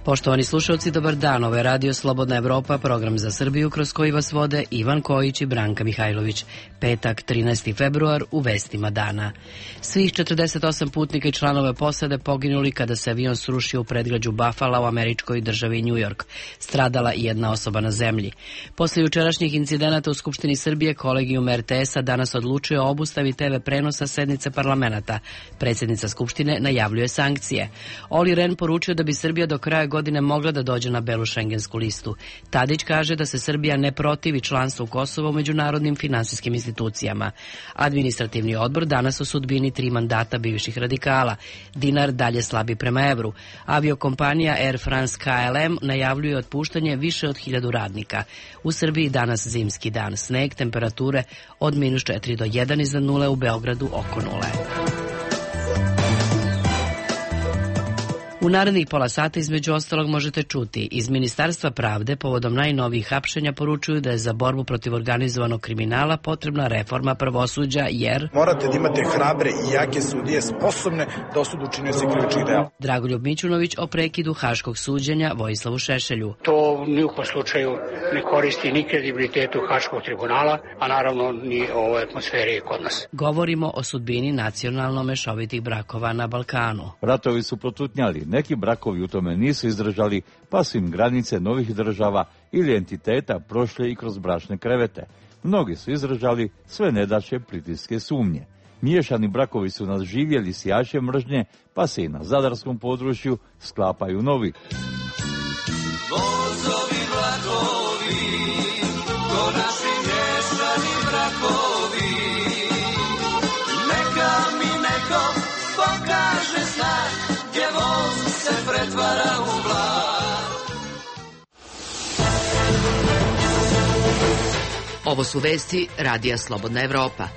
Poštovani slušalci, dobar dan. Ovo je Radio Slobodna Evropa, program za Srbiju kroz koji vas vode Ivan Kojić i Branka Mihajlović. Petak, 13. februar, u vestima dana. Svih 48 putnika i članove posade poginuli kada se avion srušio u predgrađu Buffalo u američkoj državi New York. Stradala i jedna osoba na zemlji. Posle jučerašnjih incidenata u Skupštini Srbije, kolegijum RTS-a danas odlučuje o obustavi TV prenosa sednice parlamenta. Predsjednica Skupštine najavljuje sankcije. Oli Ren poručio da bi Srbija do kraja godine mogla da dođe na belu šengensku listu. Tadić kaže da se Srbija ne protivi članstvu Kosova u međunarodnim finansijskim institucijama. Administrativni odbor danas o sudbini 3 mandata bivših radikala. Dinar dalje slabi prema evru. Aviokompanija Air France KLM najavljuje otpuštanje više od 1000 radnika. U Srbiji danas zimski dan. Sneg, temperature od -4 do 1 iznad nule, u Beogradu oko nule. U narednih pola sata između ostalog možete čuti: iz Ministarstva pravde povodom najnovijih hapšenja poručuju da je za borbu protiv organizovanog kriminala potrebna reforma pravosuđa jer morate da imate hrabre i jake sudije sposobne da osude učinioce krivičnih dela. Dragoljub Mićunović o prekidu haškog suđenja Vojislavu Šešelju. To ni u kom slučaju ne koristi ni kredibilitetu Haškog tribunala, a naravno ni ovoj atmosferi kod nas. Govorimo o sudbini nacionalno mešovitih brakova na Balkanu. Ratovi su protutnjali. Neki brakovi u tome nisu izdržali, pa su im granice novih država ili entiteta prošle i kroz bračne krevete. Mnogi su izdržali sve nedaće, pritiske, sumnje. Miješani brakovi su nas živjeli sijače mržnje, pa se i na zadarskom području sklapaju novi. Vozovi vlakovi, ko naši miješani brakovi, neka mi neko pokaže znak, gdje voz se pretvara u vlak. Ovo su vesti Radija Slobodna Evropa.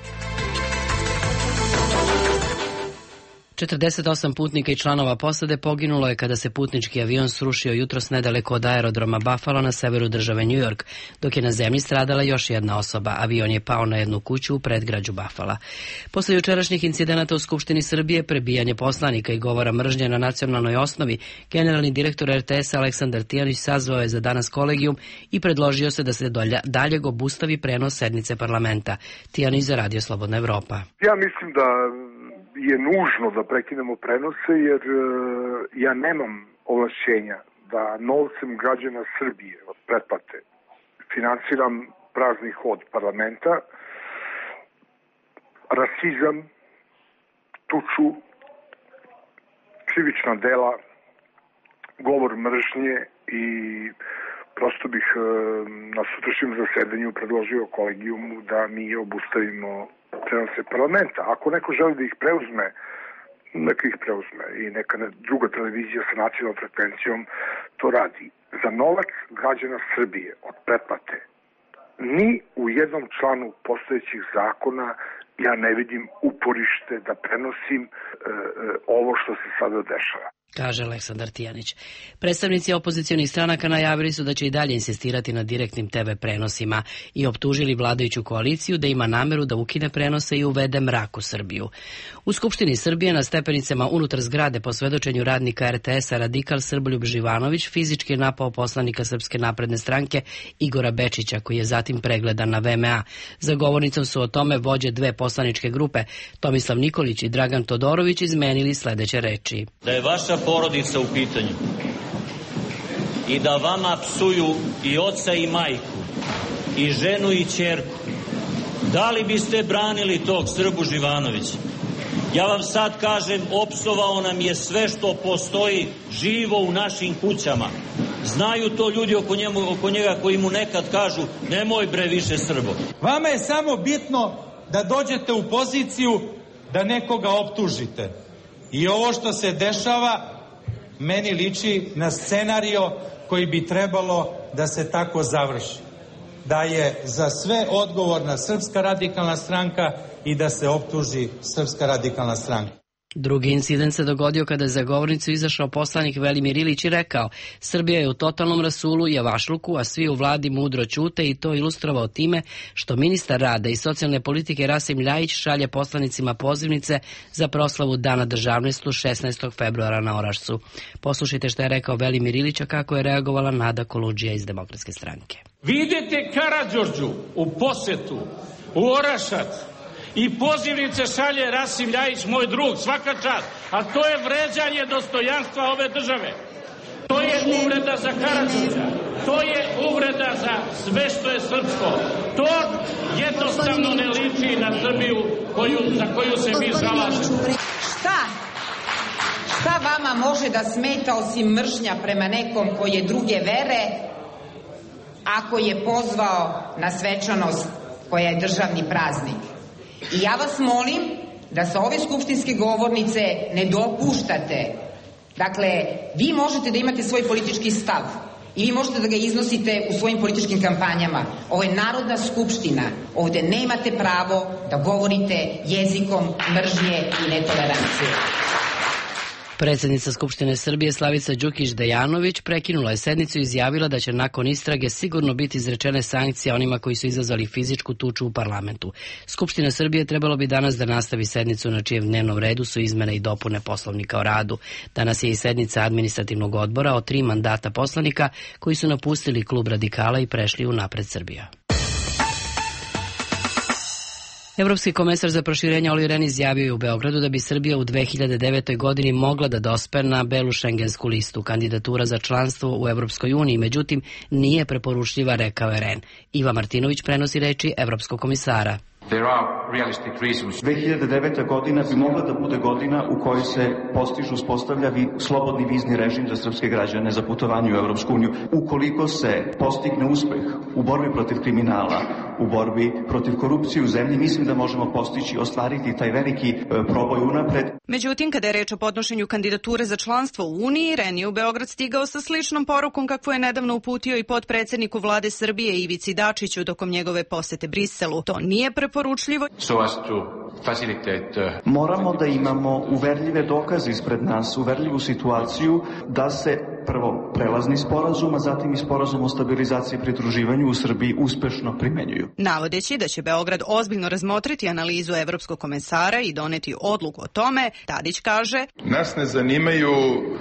48 putnika i članova posade poginulo je kada se putnički avion srušio jutros nedaleko od aerodroma Buffalo na severu države New York, dok je na zemlji stradala još jedna osoba. Avion je pao na jednu kuću u predgrađu Buffala. Posle jučerašnjih incidenata u Skupštini Srbije, prebijanje poslanika i govora mržnje na nacionalnoj osnovi, generalni direktor RTS Aleksandar Tijanić sazvao je za danas kolegijum i predložio se da se daljeg obustavi prenos sednice parlamenta. Tijanić za Radio Slobodna Evropa. Ja mislim da je nužno da prekinemo prenose jer ja nemam ovlašćenja da novcem građana Srbije od pretplate finansiram prazni hod parlamenta, rasizam, tuču, krivična dela, govor mržnje i prosto bih na sutrašnjem zasedanju predložio kolegijumu da mi obustavimo prenose parlamenta. Ako neko želi da ih preuzme, neka ih preuzme i neka druga televizija sa nacionalnom frekvencijom to radi. Za novac građana Srbije od pretplate ni u jednom članu postojećih zakona ja ne vidim uporište da prenosim ovo što se sada dešava, kaže Aleksandar Tijanić. Predstavnici opozicionih stranaka najavili su da će i dalje insistirati na direktnim TV prenosima i optužili vladajuću koaliciju da ima nameru da ukine prenose i uvede mrak u Srbiju. U Skupštini Srbije na stepenicama unutar zgrade po svedočenju radnika RTS-a radikal Srboljub Živanović fizički je napao poslanika Srpske napredne stranke Igora Bečića, koji je zatim pregledan na VMA. Za govornicom su o tome vođe dve poslaničke grupe, Tomislav Nikolić i Dragan Todorović, izmenili sledeće reči. Da je vaša porodica u pitanju i da vama psuju i oca i majku i ženu i ćerku, da li biste branili tog Srbu Živanovića? Ja vam sad kažem, opsovao nam je sve što postoji živo u našim kućama. Znaju to ljudi oko njega koji mu nekad kažu nemoj bre više Srbo. Vama je samo bitno da dođete u poziciju da nekoga optužite. I ovo što se dešava meni liči na scenario koji bi trebalo da se tako završi. Da je za sve odgovorna Srpska radikalna stranka i da se optuži Srpska radikalna stranka. Drugi incident se dogodio kada je za govornicu izašao poslanik Velimir Ilić i rekao: Srbija je u totalnom rasulu i javašluku, a svi u vladi mudro ćute, i to ilustrovao time što ministar rada i socijalne politike Rasim Ljajić šalje poslanicima pozivnice za proslavu Dana državnosti 16. februara na Orašcu. Poslušajte šta je rekao Velimir Ilić, a kako je reagovala Nada Koludžija iz Demokratske stranke. Vi idete Karađorđu u posetu, u Orašac, i pozivnice šalje Rasim Ljajić, moj drug, svaka čast, a to je vređanje dostojanstva ove države. To je uvreda za Karađorđa, to je uvreda za sve što je srpsko. To jednostavno ne liči na Srbiju za koju se mi zalažemo. Šta vama može da smeta osim mržnja prema nekom koji je druge vere, ako je pozvao na svečanost koja je državni praznik? I ja vas molim da sa ove skupštinske govornice ne dopuštate. Dakle, vi možete da imate svoj politički stav i vi možete da ga iznosite u svojim političkim kampanjama. Ovo je Narodna skupština. Ovde nemate pravo da govorite jezikom mržnje i netolerancije. Predsjednica Skupštine Srbije Slavica Đukić Dejanović prekinula je sednicu i izjavila da će nakon istrage sigurno biti izrečene sankcije onima koji su izazvali fizičku tuču u parlamentu. Skupština Srbije trebalo bi danas da nastavi sednicu na čijem dnevnom redu su izmene i dopune Poslovnika o radu. Danas je i sednica administrativnog odbora o 3 mandata poslanika koji su napustili klub radikala i prešli u Napred Srbija. Evropski komesar za proširenje Olli Rehn izjavio je u Beogradu da bi Srbija u 2009. godini mogla da dospe na belu šengensku listu. Kandidatura za članstvo u Evropskoj uniji, međutim, nije preporučljiva, rekao je Rehn. Iva Martinović prenosi reči Evropskog komisara. 2009. godina bi mogla da bude godina u kojoj se uspostavlja slobodni vizni režim za srpske građane za putovanje u Evropsku uniju. Ukoliko se postigne uspeh u borbi protiv kriminala, u borbi protiv korupcije u zemlji, mislim da možemo ostvariti taj veliki proboj unapred. Međutim, kada je reč o podnošenju kandidature za članstvo u Uniji, Rehn je u Beograd stigao sa sličnom porukom kakvu je nedavno uputio i potpredsjedniku vlade Srbije Ivici Dačiću tokom njegove posete Briselu. To nije preporučljivo. Moramo da imamo uverljive dokaze ispred nas, uverljivu situaciju da se prvo prelazni sporazum, a zatim i sporazum o stabilizaciji i pridruživanju u Srbiji uspešno primenjuju. Navodeći da će Beograd ozbiljno razmotriti analizu evropskog komesara i doneti odluku o tome, Tadić kaže: Nas ne zanimaju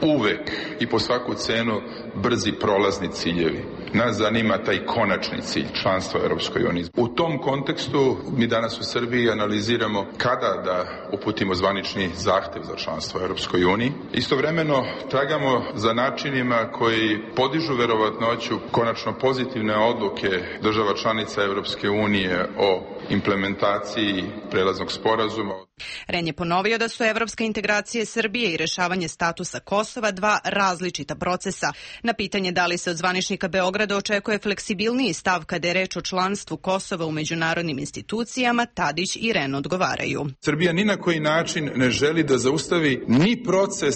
uvek i po svaku cenu brzi prolazni ciljevi. Nas zanima taj konačni cilj, članstva u Evropskoj uniji. U tom kontekstu mi danas u Srbiji analiziramo kada da uputimo zvanični zahtev za članstvo u Evropskoj uniji. Istovremeno tragamo za načinima koji podižu verovatnoću konačno pozitivne odluke država članica Evropske unije o implementaciji prelaznog sporazuma. Rehn je ponovio da su evropske integracije Srbije i rešavanje statusa Kosova 2 različita procesa. Na pitanje da li se od zvaničnika Beograda očekuje fleksibilniji stav kada je reč o članstvu Kosova u međunarodnim institucijama, Tadić i Rehn odgovaraju. Srbija ni na koji način ne želi da zaustavi ni proces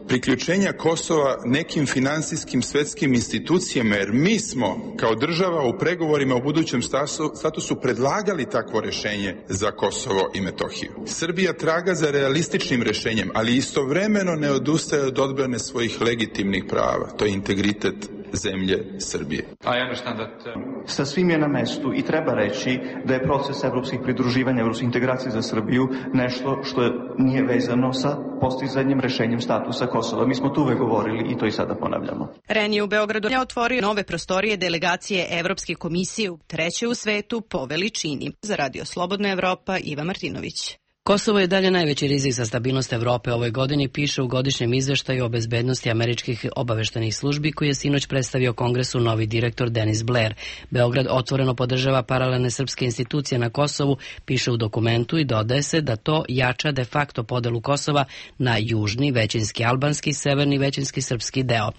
priključenja Kosova nekim finansijskim svetskim institucijama, jer mi smo kao država u pregovorima o budućem statusu predlagali takvo rešenje za Kosovo i Metohiju. Srbija traga za realističnim rešenjem, ali istovremeno ne odustaje od odbrane svojih legitimnih prava. To je integritet zemlje Srbije. Sa svim je na mestu i treba reći da je proces evropskih pridruživanja, evropskih integracija za Srbiju nešto što nije vezano sa postizanjem rešenjem statusa Kosova. Mi smo tu uvek govorili i to i sada ponavljamo. Rehn je u Beogradu otvorio nove prostorije delegacije Evropske komisije, treće u svetu po veličini. Za Radio Slobodna Evropa, Iva Martinović. Kosovo je dalje najveći rizik za stabilnost Evrope ovoj godini, piše u godišnjem izveštaju o bezbednosti američkih obaveštajnih službi koji je sinoć predstavio Kongresu novi direktor Denis Blair. Beograd otvoreno podržava paralelne srpske institucije na Kosovu, piše u dokumentu, i dodaje se da to jača de facto podelu Kosova na južni, većinski albanski, severni, većinski srpski deo.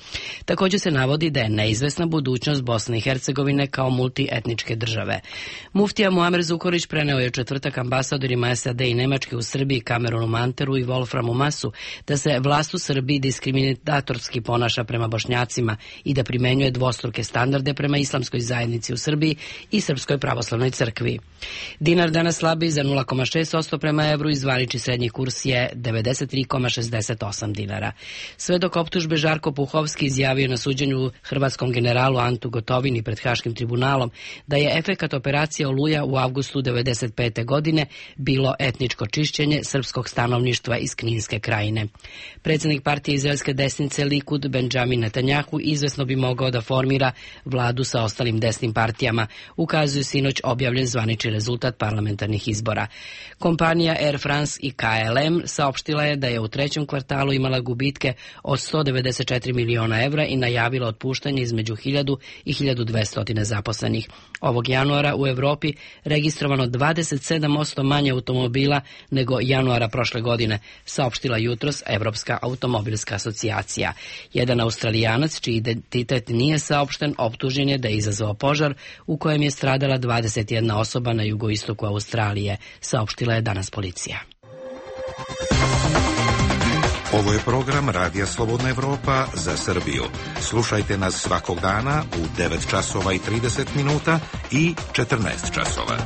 Također se navodi da je neizvesna budućnost Bosne i Hercegovine kao multietničke države. Muftija Muamer Zukorlić preneo je u četvrtak ambasadorima SAD i Nemačke Nemačke u Srbiji, Kamerunu Manteru i Wolframu Masu da se vlast u Srbiji diskriminatorski ponaša prema Bošnjacima i da primenjuje dvostruke standarde prema islamskoj zajednici u Srbiji i Srpskoj pravoslavnoj crkvi. Dinar danas slabi za 0,6% prema evru i zvanični srednji kurs je 93,68 dinara. Sve dok optužbe Žarko Puhovski izjavio na suđenju hrvatskom generalu Antu Gotovini pred Haškim tribunalom da je efekat operacije Oluja u avgustu 1995. godine bilo etničko čišćenje srpskog stanovništva iz Kninske krajine. Predsjednik partije izraelske desnice Likud Benjamin Netanjahu izvesno bi mogao da formira vladu sa ostalim desnim partijama, ukazuju sinoć objavljen zvanični rezultat parlamentarnih izbora. Kompanija Air France i KLM saopštila je da je u trećem kvartalu imala gubitke od 194 miliona evra i najavila otpuštanje između 1000 i 1200 zaposlenih. Ovog januara u Evropi registrovano 27% manje automobila nego januara prošle godine, saopštila jutros Evropska automobilska asocijacija. Jedan Australijanac, čiji identitet nije saopšten, optužen je da je izazvao požar u kojem je stradala 21 osoba na jugoistoku Australije, saopštila je danas policija. Ovo je program Radija Slobodna Evropa za Srbiju. Slušajte nas svakog dana u 9 časova i 30 minuta i 14 časova.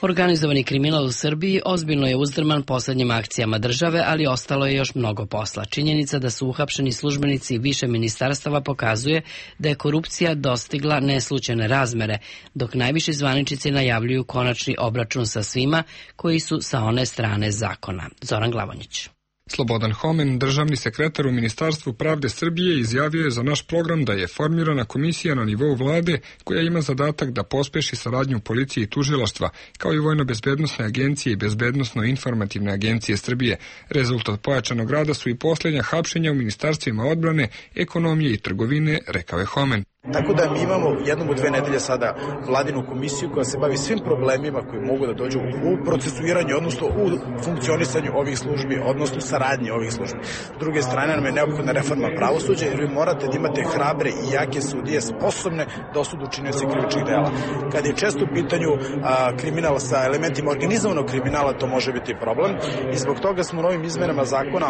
Organizovani kriminal u Srbiji ozbiljno je uzdrman poslednjim akcijama države, ali ostalo je još mnogo posla. Činjenica da su uhapšeni službenici više ministarstava pokazuje da je korupcija dostigla neslućene razmere, dok najviši zvaničnici najavljuju konačni obračun sa svima koji su sa one strane zakona. Zoran Glavonjić. Slobodan Homen, državni sekretar u Ministarstvu pravde Srbije, izjavio je za naš program da je formirana komisija na nivou vlade koja ima zadatak da pospeši saradnju policije i tužilaštva, kao i Vojno-bezbednosne agencije i Bezbednosno-informativne agencije Srbije. Rezultat pojačanog rada su i posljednja hapšenja u ministarstvima odbrane, ekonomije i trgovine, rekao je Homen. Tako da mi imamo jednom u 2 nedelje sada vladinu komisiju koja se bavi svim problemima koji mogu da dođu u procesuiranju, odnosno u funkcionisanju ovih službi, odnosno saradnji ovih službi. S druge strane nam je neophodna reforma pravosuđa jer vi morate da imate hrabre i jake sudije sposobne da osude učinioce krivičnih dela. Kad je često u pitanju kriminal sa elementima organizovanog kriminala, to može biti problem i zbog toga smo novim izmenama zakona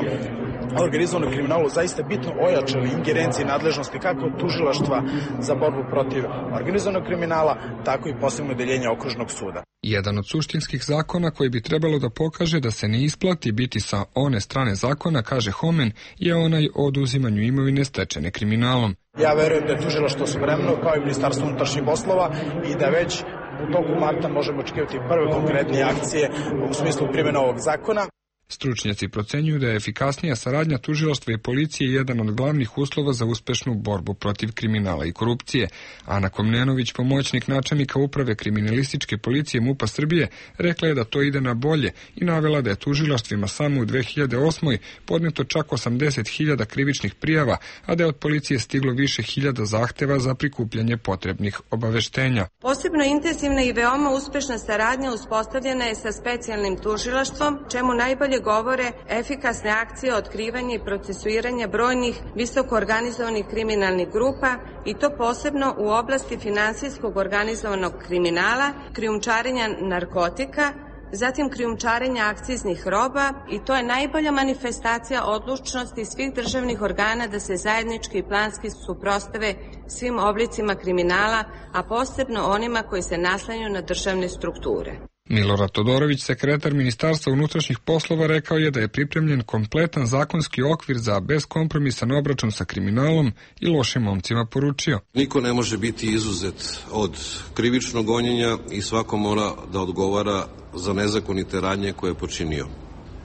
o organizovanom kriminalu zaista bitno ojačali ingerencije i nadležnosti kako tužilaštva za borbu protiv organizovanog kriminala, tako i posebno deljenje okružnog suda. Jedan od suštinskih zakona koji bi trebalo da pokaže da se ne isplati biti sa one strane zakona, kaže Homen, je onaj o oduzimanju imovine stečene kriminalom. Ja verujem da je tužilaštvo spremno, kao i Ministarstvo unutrašnjih poslova, i da već u toku marta možemo očekivati prve konkretne akcije u smislu primjene ovog zakona. Stručnjaci procenjuju da je efikasnija saradnja tužilaštva i policije jedan od glavnih uslova za uspešnu borbu protiv kriminala i korupcije. Ana Komnenović, pomoćnik načelnika uprave kriminalističke policije MUP-a Srbije, rekla je da to ide na bolje i navela da je tužilaštvima samo u 2008. podneto čak 80.000 krivičnih prijava, a da je od policije stiglo više hiljada zahteva za prikupljanje potrebnih obaveštenja. Posebno intenzivna i veoma uspešna saradnja uspostavljena je sa specijalnim tužilaštvom, čemu najbolje govore efikasne akcije otkrivanja i procesuiranja brojnih visoko organizovanih kriminalnih grupa i to posebno u oblasti finansijskog organizovanog kriminala, krijumčarenja narkotika, zatim krijumčarenja akciznih roba i to je najbolja manifestacija odlučnosti svih državnih organa da se zajednički i planski suprotstave svim oblicima kriminala, a posebno onima koji se naslanjaju na državne strukture. Milorad Todorović, sekretar Ministarstva unutrašnjih poslova, rekao je da je pripremljen kompletan zakonski okvir za beskompromisan obračun sa kriminalom i lošim momcima poručio. Niko ne može biti izuzet od krivičnog gonjenja i svako mora da odgovara za nezakonite radnje koje je počinio.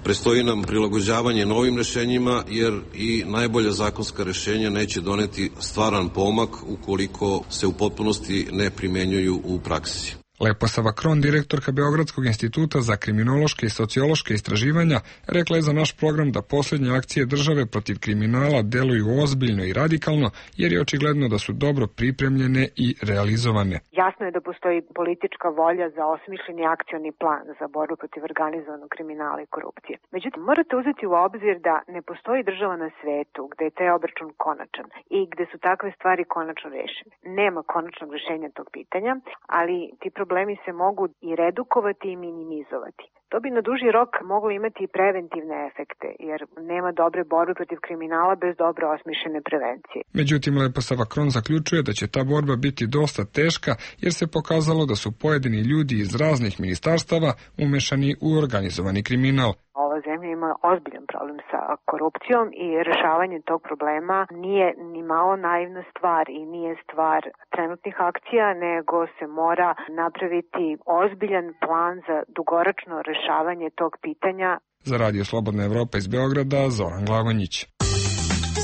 Prestoji nam prilagođavanje novim rešenjima jer i najbolja zakonska rešenja neće doneti stvaran pomak ukoliko se u potpunosti ne primenjuju u praksi. Leposava Kron, direktorka Beogradskog instituta za kriminološke i sociološke istraživanja, rekla je za naš program da posljednje akcije države protiv kriminala deluju ozbiljno i radikalno, jer je očigledno da su dobro pripremljene i realizovane. Jasno je da postoji politička volja za osmišljeni akcioni plan za borbu protiv organizovanog kriminala i korupcije. Međutim, morate uzeti u obzir da ne postoji država na svetu gde je taj obračun konačan i gde su takve stvari konačno rešene. Nema konačnog rešenja tog pitanja, ali ti problemi se mogu i redukovati i minimizovati. To bi na duži rok moglo imati i preventivne efekte, jer nema dobre borbe protiv kriminala bez dobro osmišljene prevencije. Međutim, Leposava Kron zaključuje da će ta borba biti dosta teška, jer se pokazalo da su pojedini ljudi iz raznih ministarstava umešani u organizovani kriminal. Ova zemlja ima ozbiljan problem sa korupcijom i rešavanje tog problema nije ni malo naivna stvar i nije stvar trenutnih akcija, nego se mora napraviti ozbiljan plan za dugoročno rešavanje tog pitanja. Za Radio Slobodna Evropa iz Beograda, Zoran Glavanjić.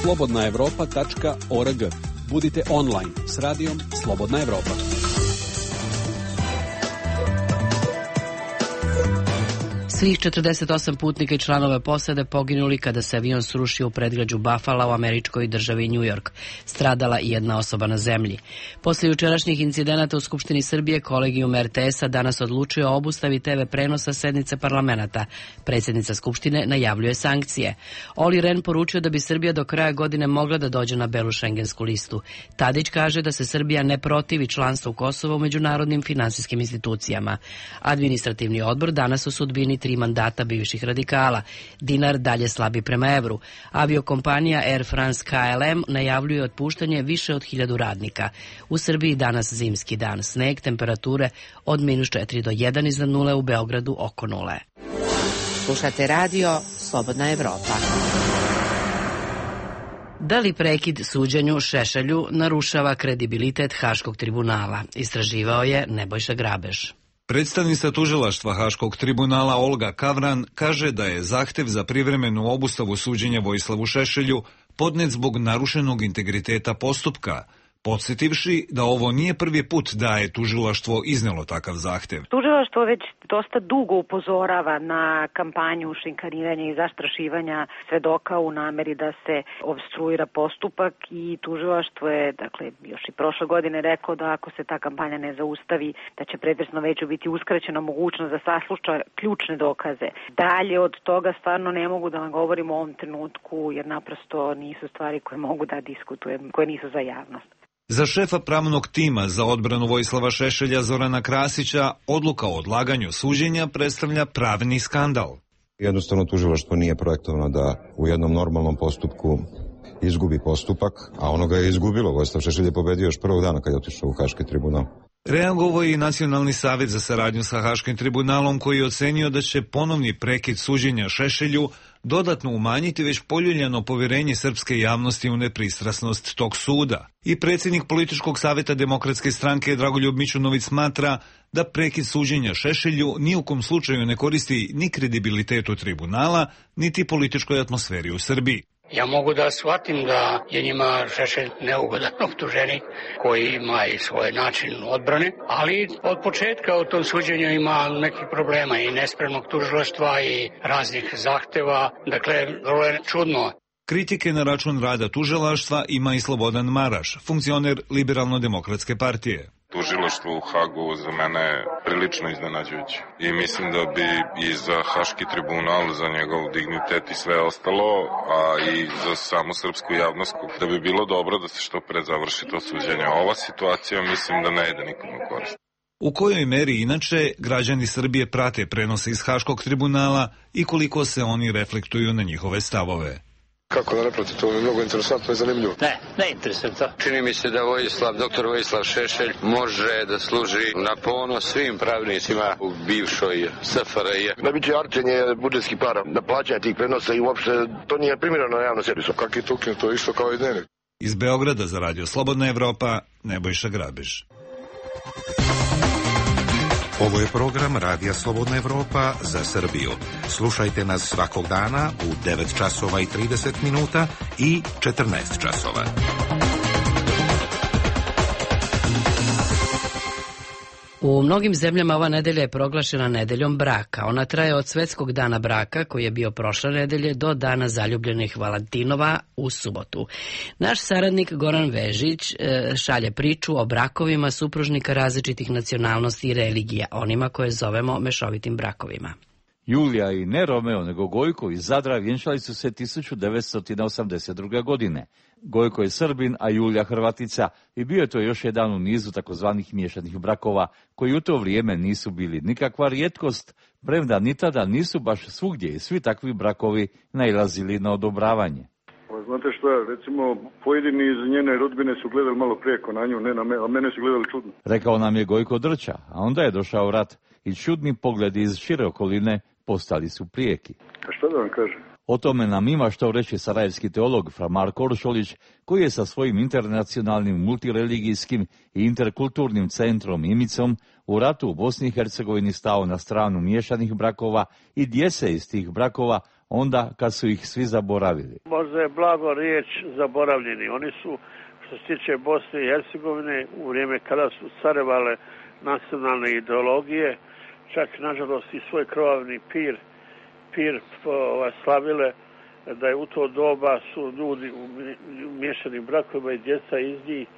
slobodnaevropa.org. Budite online s radijom Slobodna Evropa. Svih 48 putnika i članova posade poginuli kada se avion srušio u predgrađu Buffalo u američkoj državi New York. Stradala i jedna osoba na zemlji. Posle jučerašnjih incidenata u Skupštini Srbije, kolegijum RTS-a danas odlučio o obustavi TV prenosa sednice parlamenta. Predsjednica Skupštine najavljuje sankcije. Oli Ren poručio da bi Srbija do kraja godine mogla da dođe na belu šengensku listu. Tadić kaže da se Srbija ne protivi članstvu Kosova u međunarodnim finansijskim institucijama. Administrativni odbor danas u sudbini 3 mandata bivših radikala. Dinar dalje slabi prema evru. Aviokompanija Air France KLM najavljuje otpuštanje više od 1000 radnika. U Srbiji danas zimski dan. Sneg, temperature od -4 do 1 iznad nule, u Beogradu oko nule. Slušate radio Slobodna Evropa. Da li prekid suđenju Šešelju narušava kredibilitet Haškog tribunala? Istraživao je Nebojša Grabež. Predstavnica tužilaštva Haškog tribunala Olga Kavran kaže da je zahtev za privremenu obustavu suđenja Vojislavu Šešelju podnet zbog narušenog integriteta postupka, podsjetivši da ovo nije prvi put da je tužilaštvo iznelo takav zahtev. Tužilaštvo već dosta dugo upozorava na kampanju šikaniranja i zastrašivanja svedoka u nameri da se opstruira postupak i tužilaštvo je, još i prošle godine rekao da ako se ta kampanja ne zaustavi, da će predversno veću biti uskraćena mogućnost da sasluša ključne dokaze. Dalje od toga stvarno ne mogu da vam govorim u ovom trenutku, jer naprosto nisu stvari koje mogu da diskutujem, koje nisu za javnost. Za šefa pravnog tima za odbranu Vojislava Šešelja Zorana Krasića odluka o odlaganju suđenja predstavlja pravni skandal. Jednostavno tužilaštvo nije projektovano da u jednom normalnom postupku izgubi postupak, a ono ga je izgubilo. Vojislav Šešelj je pobedio još prvog dana kad je otišao u Haški tribunal. Reagovao je i Nacionalni savjet za saradnju sa Haškim tribunalom, koji je ocenio da će ponovni prekid suđenja Šešelju dodatno umanjiti već poljuljano povjerenje srpske javnosti u nepristrasnost tog suda. I predsjednik političkog savjeta Demokratske stranke Dragoljub Mićunović smatra da prekid suđenja Šešelju ni u kom slučaju ne koristi ni kredibilitetu tribunala, niti političkoj atmosferi u Srbiji. Ja mogu da shvatim da je njima Šešelj neugodan optuženik koji ima i svoj način odbrane, ali od početka u tom suđenju ima nekih problema i nespremnog tužilaštva i raznih zahteva, dakle vrlo je čudno. Kritike na račun rada tužilaštva ima i Slobodan Maraš, funkcioner Liberalno-demokratske partije. Tužilaštvo u Hagu za mene je prilično iznenađujuće i mislim da bi i za Haški tribunal, za njegov dignitet i sve ostalo, a i za samu srpsku javnost, da bi bilo dobro da se što pre završi to suđenje. Ova situacija mislim da ne ide nikom u korist. U kojoj meri inače građani Srbije prate prenose iz Haškog tribunala i koliko se oni reflektuju na njihove stavove? Kako da ne prati, to je mnogo interesantno i zanimljivo. Ne interesuje to. Čini mi se da doktor Vojislav Šešelj može da služi na ponos svim pravnicima u bivšoj SFRJ. Najveće arčenje budžetskih para, na plaćanje tih prenosa i uopšte to nije primjereno na javnom servisu. Kako je to ukinuto, isto kao i dnevnik. Iz Beograda za Radio Slobodna Evropa, Nebojša Grabež. Ovo je program Radija Slobodna Evropa za Srbiju. Slušajte nas svakog dana u 9 časova i 30 minuta i 14 časova. U mnogim zemljama ova nedelja je proglašena nedeljom braka. Ona traje od Svetskog dana braka, koji je bio prošle nedelje, do dana zaljubljenih Valentinova u subotu. Naš saradnik Goran Vežić šalje priču o brakovima supružnika različitih nacionalnosti i religija, onima koje zovemo mešovitim brakovima. Julija i ne Romeo, nego Gojko iz Zadra vjenčali su se 1982. godine. Gojko je Srbin, a Julija Hrvatica, i bio je to još jedan u nizu takozvanih miješanih brakova, koji u to vrijeme nisu bili nikakva rijetkost, premda ni tada nisu baš svugdje i svi takvi brakovi nailazili na odobravanje. Znate što, recimo, pojedini iz njene rodbine su gledali malo prijeko na nju, ne na me, a mene su gledali čudno. Rekao nam je Gojko Drča, a onda je došao rat i čudni pogledi iz šire okoline postali su prijeki. A što da vam kažem? O tome nam ima što reći sarajevski teolog fra Marko Oršolić, koji je sa svojim internacionalnim multireligijskim i interkulturnim centrom Imicom u ratu u Bosni i Hercegovini stao na stranu miješanih brakova i djece iz tih brakova, onda kad su ih svi zaboravili. Možda je blago riječ zaboravljeni. Oni su, što se tiče Bosne i Hercegovine, u vrijeme kada su carevale nacionalne ideologije, čak nažalost i svoj krvavni pir slavile, da je u to doba su ljudi u miješanim brakovima i djeca iz njih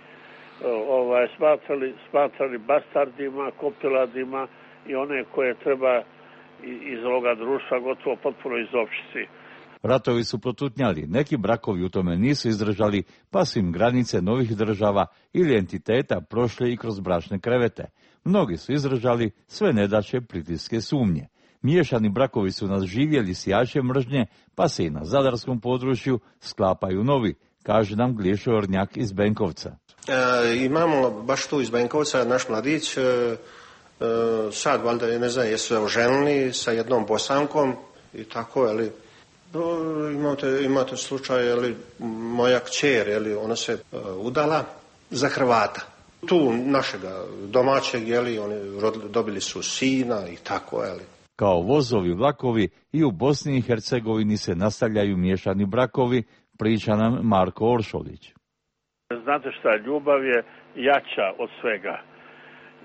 smatrali bastardima, kopiladima i one koje treba iz ovoga društva gotovo potpuno izopštiti. Ratovi su protutnjali, neki brakovi u tome nisu izdržali, pa su im granice novih država ili entiteta prošle i kroz bračne krevete. Mnogi su izdržali sve nedaće, pritiske, sumnje. Miješani brakovi su nas živjeli sijače mržnje, pa se i na zadarskom području sklapaju novi, kaže nam Glješo Ornjak iz Benkovca. Imamo baš tu iz Benkovca naš mladić, sad valjda ne znam jesu oženili sa jednom Bosankom i tako, ali imate slučaj, ali moja kćer, ali ona se udala za Hrvata. Tu našega domaćeg, oni dobili su sina i tako, Kao vozovi vlakovi i u Bosni i Hercegovini se nastavljaju miješani brakovi, priča nam Marko Oršolić. Znate šta, ljubav je jača od svega.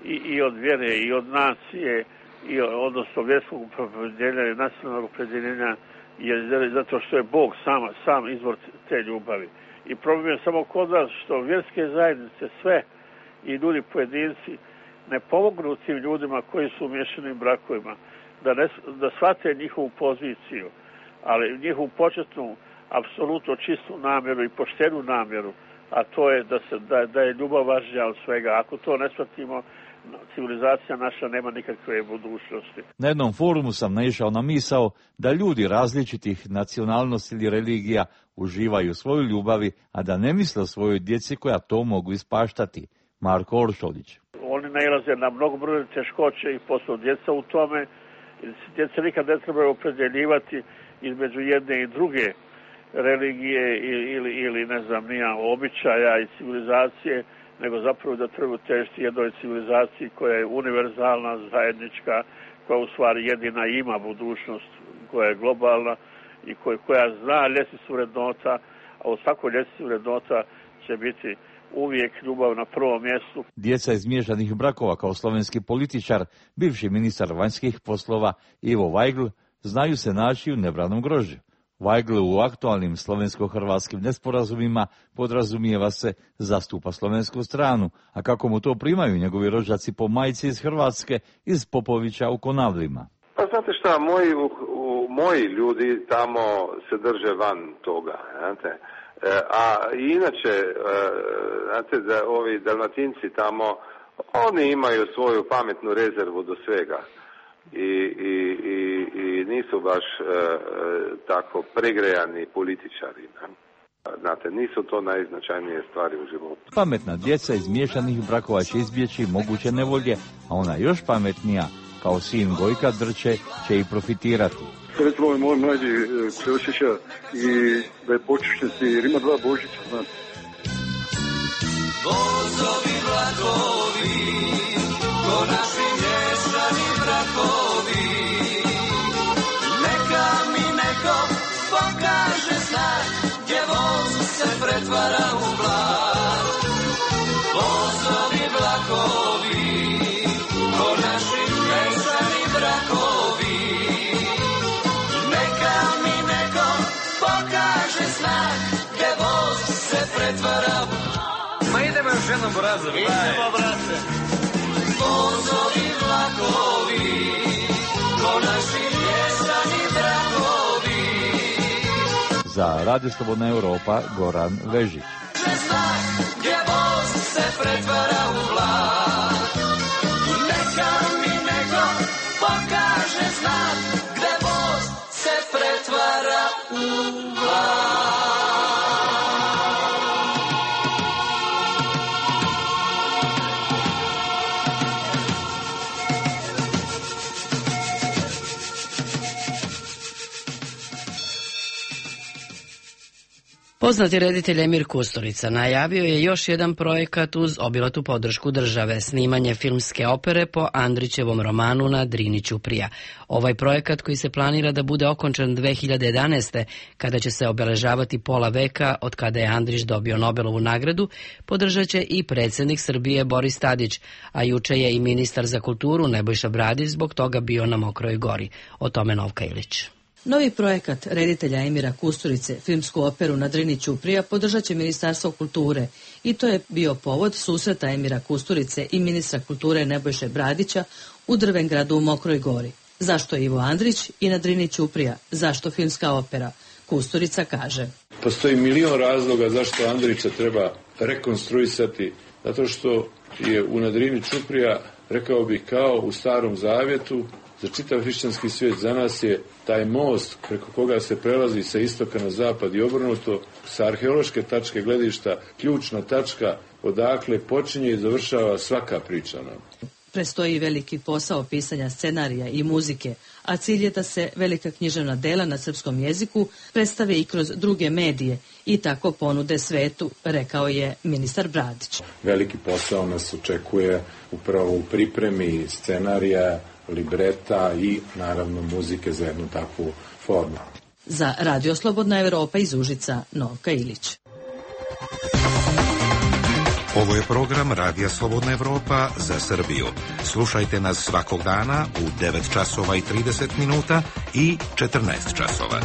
I od vjere, i od nacije, odnosno vjerskog opredjeljenja i nacionalnog opredjeljenja, zato što je Bog sam izvor te ljubavi. I problem je samo kod nas što vjerske zajednice sve i ljudi pojedinci ne pomognu tim ljudima koji su u miješanim brakovima, da shvate njihovu poziciju, ali njihovu početnu, apsolutno čistu namjeru i poštenu namjeru, a to je da je ljubav važnija od svega. Ako to ne shvatimo, civilizacija naša nema nikakve budućnosti. Na jednom forumu sam naišao na misao da ljudi različitih nacionalnosti ili religija uživaju svoju ljubavi, a da ne misle o svojoj djeci koja to mogu ispaštati. Marko Oršolić. Oni nailaze na mnogobrojne teškoće i posao djeca u tome. Djeca nikad ne trebaju opredjeljivati između jedne i druge religije ili ne znam nija običaja i civilizacije, nego zapravo da trebaju težiti jednoj civilizaciji koja je univerzalna, zajednička, koja u stvari jedina ima budućnost, koja je globalna i koja zna ljestvicu vrednota, a u svakoj ljestvici vrednota će biti uvijek ljubav na prvom mjestu. Djeca iz miješanih brakova kao slovenski političar, bivši ministar vanjskih poslova Ivo Vajgl, znaju se naći u nebranom grožđu. Vajgl u aktualnim slovensko-hrvatskim nesporazumima podrazumijeva se zastupa slovensku stranu, a kako mu to primaju njegovi rođaci po majci iz Hrvatske, iz Popovića u Konavlima. Pa znate šta, moji ljudi tamo se drže van toga, znate. A inače, znate da ovi Dalmatinci tamo, oni imaju svoju pametnu rezervu do svega i nisu baš tako pregrejani političari. Znate, nisu to najznačajnije stvari u životu. Pametna djeca iz miješanih brakova će izbjeći moguće nevolje, a ona još pametnija, kao sin Gojka Drče, će i profitirati. Recimo, moj mlađi se osjeća i da je počišćenci, jer ima 2 Božića, znate. Vozovi vlakovi, ko naši mješani brakovi, neka mi neko pokaže znak, gdje voz se pretvara u vlak. Vozovi vlakovi, jednom Boraza, idemo, brate. Vozovi vlakovi, ko naši mještani dragovi. Za Radio Slobodna Evropa Goran Vežić. Gdje voz se pretvara u vlak. Neka mi neko pokaže znak, gdje voz se pretvara u vlak. Poznati reditelj Emir Kusturica najavio je još jedan projekat uz obilatu podršku države, snimanje filmske opere po Andrićevom romanu Na Drini ćuprija. Ovaj projekat, koji se planira da bude okončan 2011. kada će se obeležavati pola veka od kada je Andrić dobio Nobelovu nagradu, podržat će i predsjednik Srbije Boris Tadić, a juče je i ministar za kulturu Nebojša Bradić zbog toga bio na Mokroj Gori. O tome Novka Ilić. Novi projekat reditelja Emira Kusturice, filmsku operu Na Drini ćuprija, podržat će Ministarstvo kulture i to je bio povod susreta Emira Kusturice i ministra kulture Nebojše Bradića u Drvengradu u Mokroj Gori. Zašto Ivo Andrić i Na Drini ćuprija? Zašto filmska opera? Kusturica kaže: Postoji milion razloga zašto Andrića treba rekonstruisati, zato što je u Na Drini ćuprija, rekao bih, kao u Starom Zavjetu, za čitav hrišćanski svijet. Za nas je taj most preko koga se prelazi sa istoka na zapad i obrnuto, sa arheološke tačke gledišta, ključna tačka odakle počinje i završava svaka priča nam. Prestoji veliki posao pisanja scenarija i muzike, a cilj je da se velika književna dela na srpskom jeziku predstave i kroz druge medije i tako ponude svetu, rekao je ministar Bradić. Veliki posao nas očekuje upravo u pripremi scenarija, libreta i naravno muzike za jednu takvu formu. Za Radio Slobodna Evropa iz Užica, Novka Ilić. Ovo je program Radija Slobodna Evropa za Srbiju. Slušajte nas svakog dana u 9 časova i 30 minuta i 14 časova.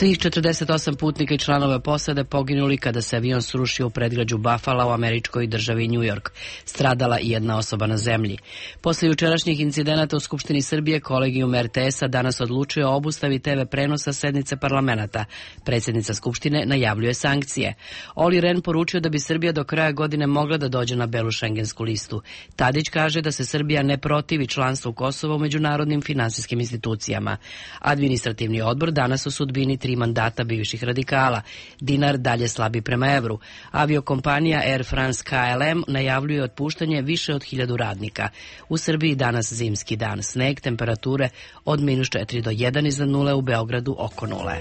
Svih 48 putnika i članova posade poginuli kada se avion srušio u predgrađu Buffalo u američkoj državi New York. Stradala i jedna osoba na zemlji. Posle jučerašnjih incidenata u Skupštini Srbije, kolegijum RTS-a danas odlučuje o obustavi TV prenosa sednice parlamenta. Predsjednica Skupštine najavljuje sankcije. Oli Ren poručio da bi Srbija do kraja godine mogla da dođe na belu šengensku listu. Tadić kaže da se Srbija ne protivi članstvu Kosova u međunarodnim finansijskim institucijama. Administrativni odbor danas u sudbini 3 mandata bivših radikala. Dinar dalje slabi prema evru. Aviokompanija Air France KLM najavljuje otpuštanje više od 1000 radnika. U Srbiji danas zimski dan. Sneg, temperature od -4 do 1 iznad nule, u Beogradu oko nule.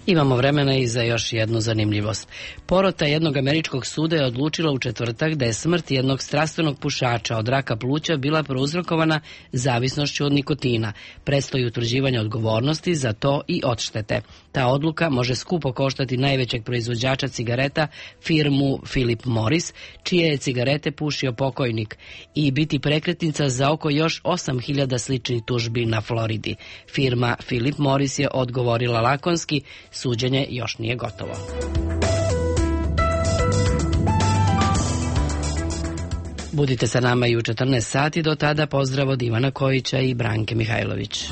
Imamo vremena i za još jednu zanimljivost. Porota jednog američkog suda je odlučila u četvrtak da je smrt jednog strastvenog pušača od raka pluća bila prouzrokovana zavisnošću od nikotina. Predstoji utvrđivanje odgovornosti za to i odštete. Ta odluka može skupo koštati najvećeg proizvođača cigareta, firmu Philip Morris, čije je cigarete pušio pokojnik, i biti prekretnica za oko još 8000 sličnih tužbi na Floridi. Firma Philip Morris je odgovorila lakonski: suđenje još nije gotovo. Budite sa nama i u 14 sati, do tada pozdrav od Ivana Kojića i Branke Mihajlović.